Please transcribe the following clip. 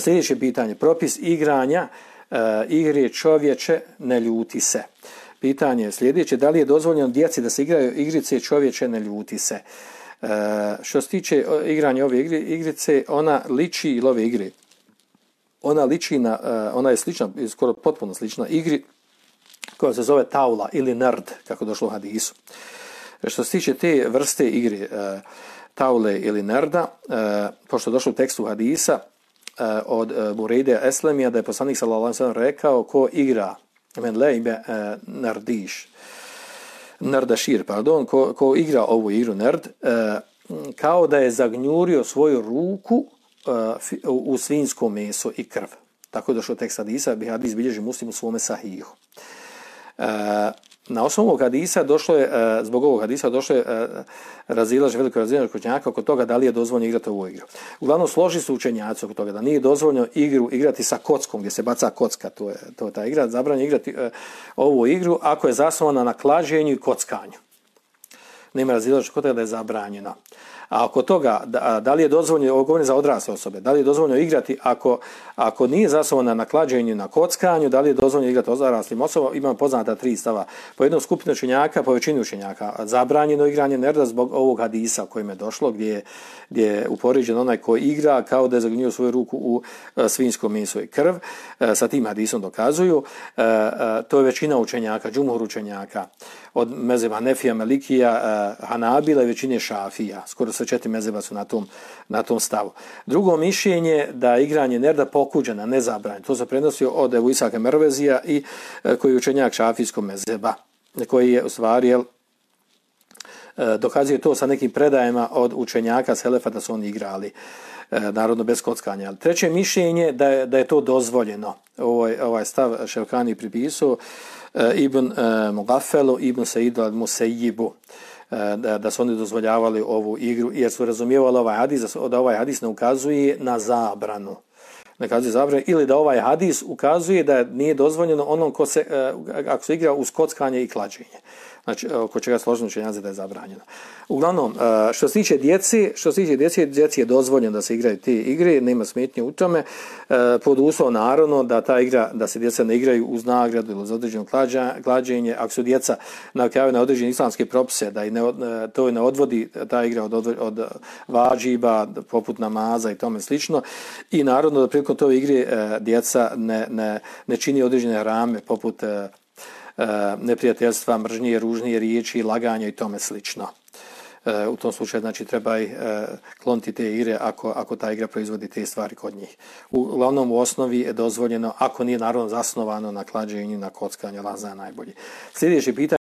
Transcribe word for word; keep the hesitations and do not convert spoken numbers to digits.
Sljedeće pitanje, propis igranja uh, igre čovječe ne ljuti se. Pitanje je sljedeće, da li je dozvoljeno djeci da se igraju igrice čovječe ne ljuti se? Uh, što se tiče igranja ove igre, igrice, ona liči, ili ove igre, ona liči na, uh, ona je slična, skoro potpuno slična igri koja se zove taula ili nerd, kako došlo u hadisu. Što se tiče te vrste igre, uh, taule ili nerda, uh, pošto je došlo u tekstu hadisa uh, od uh, Burejde Eslemija, da je poslanik sallallahu alejhi ve sellem rekao ko igra men lejbe uh, nerdiš, nerdašir, pardon, ko, ko igra ovu igru nerd, uh, kao da je zagnjurio svoju ruku uh, u svinjsko meso i krv. Tako je došlo tekst hadisa, bi hadis bilježi Muslim u svome sahihu. Uh, Na osnovu ovog hadisa došlo je, zbog ovog hadisa došlo je razilaženje, veliko razilaženje učenjaka oko toga da li je dozvoljeno igrati ovu igru. Uglavnom složi su učenjaci oko toga da nije dozvoljeno igru igrati sa kockom, gdje se baca kocka, to je, to je ta igra, zabranjeno igrati ovu igru ako je zasnovana na klađenju i kockanju. Nema razilaženja oko toga da je zabranjeno. A oko toga, da, da li je dozvoljeno, ovo govorim za odrasle osobe, da li je dozvoljeno igrati ako, ako nije zasnovana na klađenju, na kockanju, da li je dozvoljeno igrati odraslim osobama, imam poznata tri stava. Po jednom skupinu učenjaka, po većini učenjaka, zabranjeno igranje nerda zbog ovog hadisa kojim je došlo, gdje je, gdje je uporiđen onaj ko igra kao da je zagnio svoju ruku u uh, svinjsko meso i krv. Uh, sa tim hadisom dokazuju. Uh, uh, to je većina učenjaka, džumhur učenjaka, od mezheba Hanefija, Melikija, uh, Hanabila i većine Šafija. Skoro sve četiri mezheba su na tom, na tom stavu. Drugo mišljenje da igranje nerda pokuđena, ne zabranjeno. To se prenosio od Ebu Isaka Mervezija i uh, koji je učenjak šafijskog mezheba, koji je u stvari jel, dokazuje to sa nekim predajama od učenjaka Selefa da su oni igrali narodno bez kockanja. Treće mišljenje da je, da je to dozvoljeno. Ovaj, ovaj stav Ševkani pripisao Ibn Mugafelu, Ibn Saidu al-Musayyibu, da, da su oni dozvoljavali ovu igru jer su razumijevali ovaj hadis, da ovaj hadis ne ukazuje na zabranu. Ne ukazuje zabranu ili da ovaj hadis ukazuje da nije dozvoljeno onom ko se, ako se igra uz kockanje i klađenje. Znači, oko čega složeno učenjaci da je zabranjeno. Uglavnom, što se tiče djeci, što se tiče djeci, djeci je dozvoljeno da se igraju te igre, nema smetnje u tome, pod uslovom naravno da ta igra, da se djeca ne igraju uz nagradu ili za određeno klađenje, ako su djeca navijaju na određene islamske propise, da i ne, to ne odvodi ta igra od, od, od vađiba, poput namaza i tome slično, i naravno da prilikom tove igre djeca ne, ne, ne čini određene rame, poput neprijateljstva, mržnje, ružnije riječi, laganja i tome slično. U tom slučaju znači treba i kloniti te igre ako, ako ta igra proizvodi te stvari kod njih. Uglavnom u osnovi je dozvoljeno, ako nije naravno zasnovano na klađenju, na kockanju, Allah zna najbolje. Sljedeće pitanje